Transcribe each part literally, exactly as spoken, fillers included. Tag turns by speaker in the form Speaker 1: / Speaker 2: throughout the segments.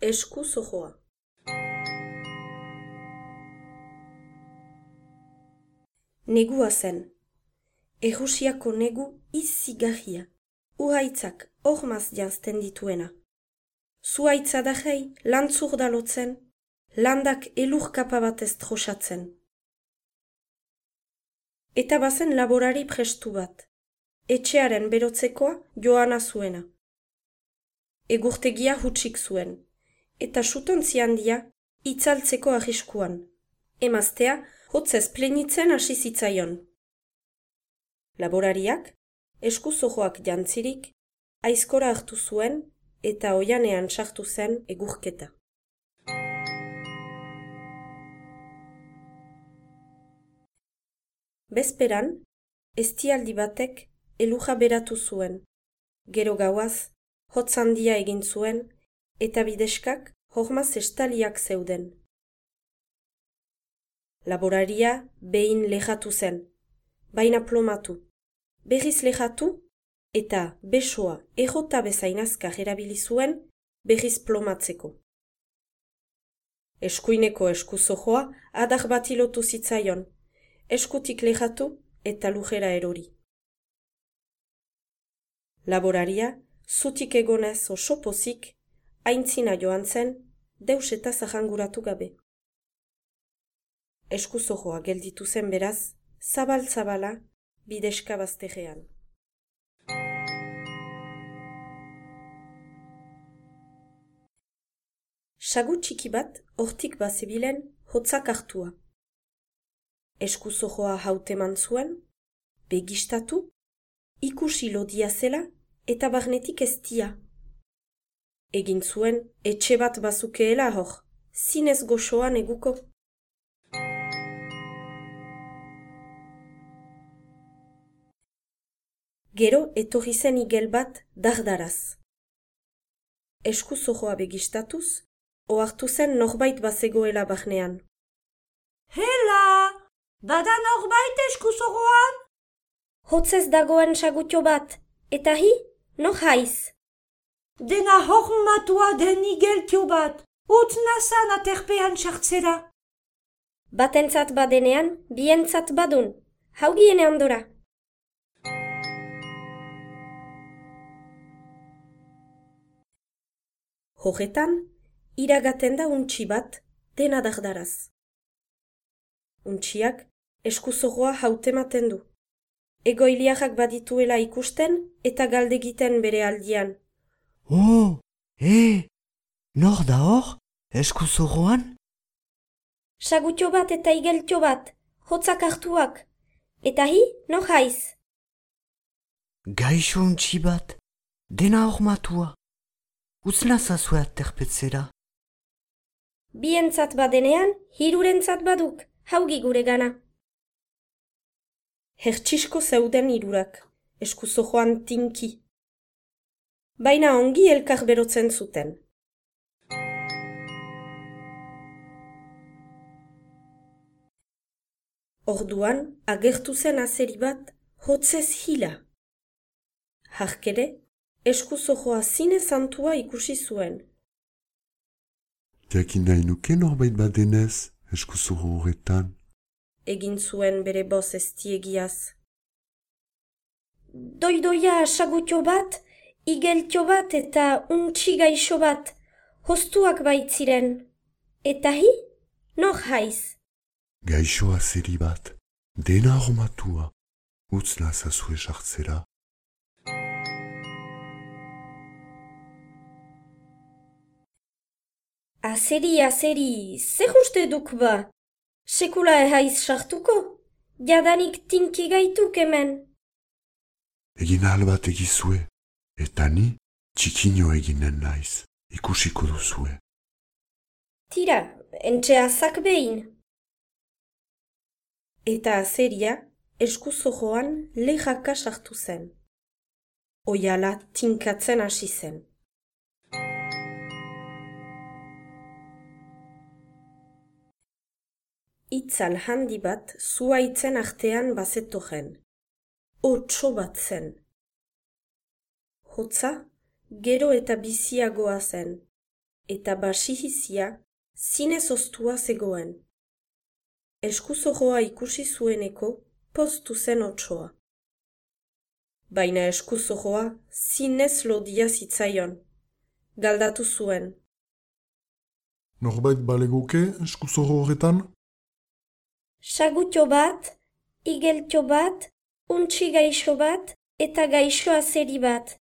Speaker 1: Esku zojoa. Negua zen. Errusiako negu izigarria. Uhaitzak hormaz janzten dituena. Zuhaitza dajei lantzur dalotzen, landak elurkapa batez trosatzen. Eta bazen laborari prestu bat. Etxearen berotzekoa joana zuena. Egurtegia hutsik zuen, eta sutontzi handia itzaltzeko arriskuan. Emaztea hotzez plenitzen hasi zitzaion. Laborariak, esku zojoak jantzirik, aizkora hartu zuen eta oianean sartu zen egurketa. Bezperan, eztialdi batek eluja beratu zuen. Gero gauaz, hotz handia egin zuen, eta bideskak hormaz estaliak zeuden. Laboraria behin lehatu zen, baina plomatu. Berriz lehatu, eta besoa errota bezain azkar erabili zuen berriz plomatzeko. Eskuineko esku zojoa adar bati lotu zitzaion, eskutik lehatu eta lujera erori. Laboraria, zutik egonez oso pozik, aintzina joan zen, deus eta zahanguratu gabe. Esku zojoa gelditu zen beraz, zabal-zabala, bideska bazterrean. Sagu txiki bat hortik bazebilen hotzak hartua. Esku zojoa hauteman zuen, begistatu, ikusi lodia zela eta barnetik eztia. Egin zuen etxe bat bazukeela hor, zinez goxoan eguko. Gero etorri zen igel bat dardaraz. Esku zojoa begistatuz, ohartu zen norbait bazegoela barnean.
Speaker 2: Hela! Bada norbait esku zojoan?
Speaker 1: Hotzez dagoen sagutio bat, eta hi, nor haiz.
Speaker 2: Dena hormatua den igeltio bat, utz nazan aterpean sartzera.
Speaker 1: Batentzat badenean, bientzat badun, haugiene ondora. Horretan, iragaten da untxi bat dena dardaraz. Untxiak esku zojoa hautematen du. Egoiliarrak badituela ikusten eta galdegiten bere aldian.
Speaker 3: Oh, e, nor da hor, esku zojoan?
Speaker 1: Sagutio bat eta igeltio bat, hotzak hartuak. Eta hi, nor haiz.
Speaker 3: Gaixo untxi bat, dena hormatua. Utz nazazue aterpetzera.
Speaker 1: Bientzat badenean, hirurentzat baduk, haugi gure gana. Hertsisko zeuden hirurak, esku zojoan tinki. Baina ongi elkar berotzen zuten. Orduan, agertu zen azeri bat, hotzez hila. Harkere, esku zojoa zine zantua ikusi zuen.
Speaker 4: Jakin nahi nuke norbait badenez, esku zojo horretan.
Speaker 1: Egin zuen bere boz eztiegiaz. Doidoia sagutio bat, igeltio bat eta untxi gaixo bat, hostuak baitziren. Eta hi, nor haiz.
Speaker 4: Gaixo azeri bat, dena hormatua, utz nazazue sartzera.
Speaker 1: Azeri, azeri, zer uste duk ba? Sekula ehaiz sartuko? Jadanik tinki gaituk hemen.
Speaker 4: Egin ahal bat egizue, eta ni txikino eginen naiz, ikusiko duzue.
Speaker 1: Tira, entxe azak behin. Eta azeria esku zojoan lehaka sartu zen. Oiala tinkatzen hasi zen. Itzal handi bat zuhaitzen artean bazetogen. Otso bat zen. Hotza, gero eta biziagoa zen, eta basihizia zinez oztua zegoen. Eskuzojoa ikusi zueneko poztu zen otsoa. Baina eskuzojoa zinez lodia zitzaion. Galdatu zuen.
Speaker 5: Norbait balegoke eskuzojo horretan?
Speaker 6: Sagutio bat, igeltio bat, untxi gaixo bat eta gaixo azeri bat.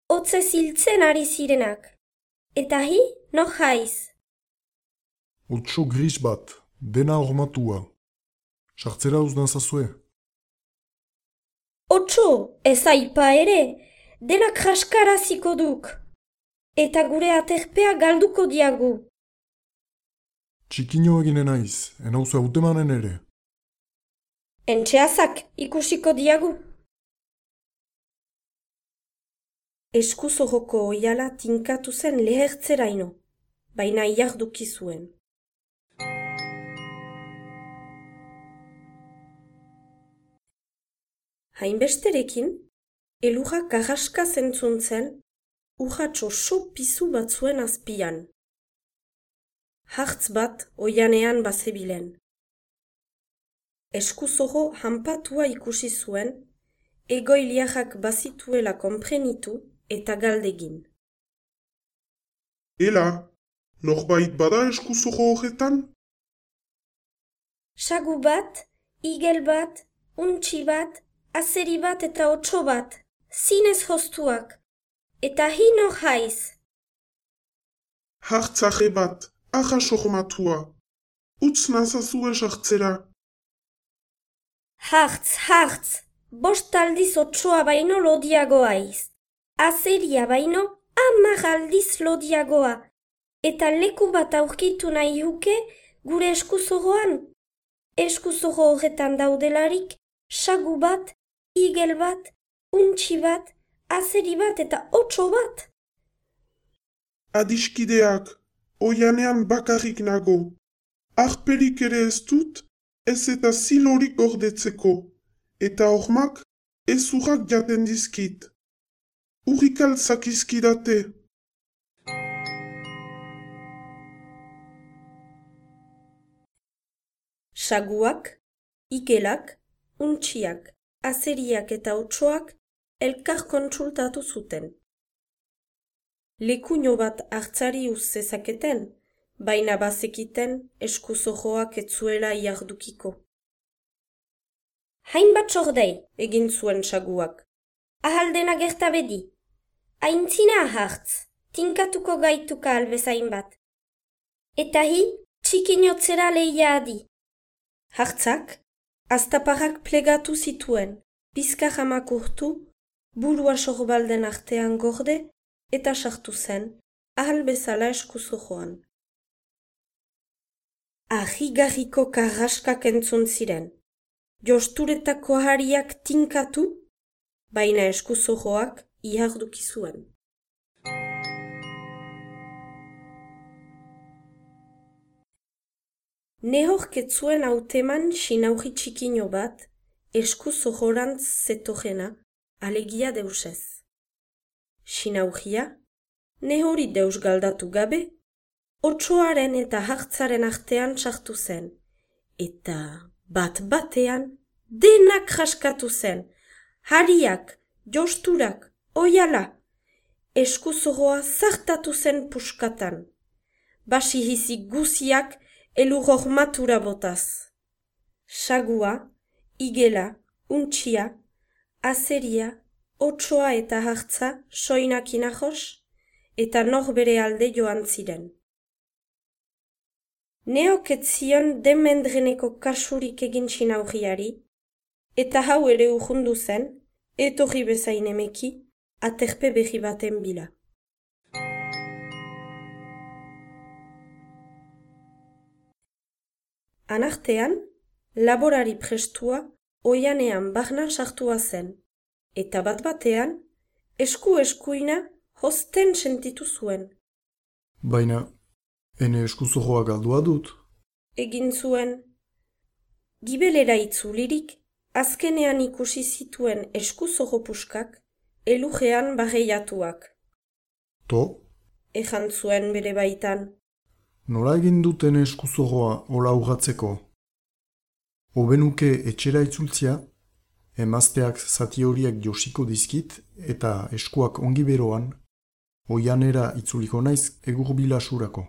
Speaker 6: Hotzez hiltzen ari zirenak. Eta hi, no jaiz.
Speaker 5: Otso gris bat, dena hormatua. Sartzera uzdan zazue.
Speaker 6: Otso, ez aipa ere, denak jaskaraziko duk. Eta gure aterpea galduko diagu.
Speaker 5: Txikino eginen naiz, enauzu hautemanen ere.
Speaker 6: Entxeazak ikusiko diagu.
Speaker 1: Eskuzojoko oiala tinkatu zen lehertzeraino, baina iarduki zuen. Hainbesterekin, elurra karraska zentzun zen, urratxo so pizu bat zuen azpian. Hartz bat oianean bazebilen. Eskuzojo hanpatua ikusi zuen, egoiliarrak bazituela konprenitu eta galdegin.
Speaker 7: Ela, norbait bada eskuzojo horretan?
Speaker 6: Sagu bat, igel bat, untxi bat, azeri bat eta otso bat, zinez hoztuak, eta hi no jaiz.
Speaker 7: Hartzaje bat, ahas hormatua. Utz nazazue sartzera.
Speaker 6: Hartz, hartz, bost aldiz otsoa baino lodiagoaiz. Azeria baino hamar aldiz lodiagoa. Eta leku bat aurkitu nahi huke gure eskuzojoan. Eskuzojo horretan daudelarik, sagu bat, igel bat, untxi bat, azeri bat eta otso bat.
Speaker 7: Adiskideak, oianean bakarrik nago. Arperik ere ez dut, ez eta zilorik gordetzeko, eta hormak ezurrak jaten dizkit. Urrikal zakizkidate.
Speaker 1: Saguak, igelak, untxiak, azeriak eta otsoak elkar kontsultatu zuten. Lekuño bat hartzari uz zezaketen, baina bazekiten eskuzojoak etzuela iardukiko.
Speaker 6: Hainbat sordei,
Speaker 1: Egin zuen saguak.
Speaker 6: ahaldena gertabedi. Aintzina hartz, tinkatuko gaituka albezain bat. Eta hi, txikinotzera lehia adi.
Speaker 1: Hartzak, aztaparrak plegatu zituen, bizkar hamak urtu, burua sorbalden artean gorde, eta sartu zen, ahal bezala eskuzojoan. Ahigarriko karraskak entzun ziren, josturetako hariak tinkatu, baina eskuzojoak iharduki zuen. Nehorketzuen hauteman sinauhi txikino bat, eskuzohorantz zetojena, alegia deusez. Sinauhia, nehori deus galdatu gabe, otsoaren eta hartzaren artean sartu zen, eta bat batean denak jaskatu zen, hariak, josturak, oiala, eskuzohoa zartatu zen puskatan, basihizik guziak elur hormatura botaz. Sagua, igela, untxia, azeria, otsoa eta hartza soinak inahos, eta norbere alde joan ziren. Neok ez zion demendreneko kasurik egin sinauhiari, eta hau ere urrundu zen, etorri bezain emeki, aterpe behi baten bila. Anartean, laborari prestua oianean barnan sartua zen, eta bat batean, esku-eskuina hosten sentitu zuen.
Speaker 5: Baina, ene eskuzojoa galdua dut.
Speaker 1: Egin zuen. Gibelera itzulirik, azkenean ikusi zituen eskuzojo puskak, elujean barreiatuak.
Speaker 5: To?
Speaker 1: ejan zuen bere baitan.
Speaker 5: Nola egin duten eskuzorroa hola urratzeko? Hobenuke etxera itzultzia, emazteak zati horiek josiko dizkit eta eskuak ongi beroan, oianera itzuliko naiz egur bilasurako.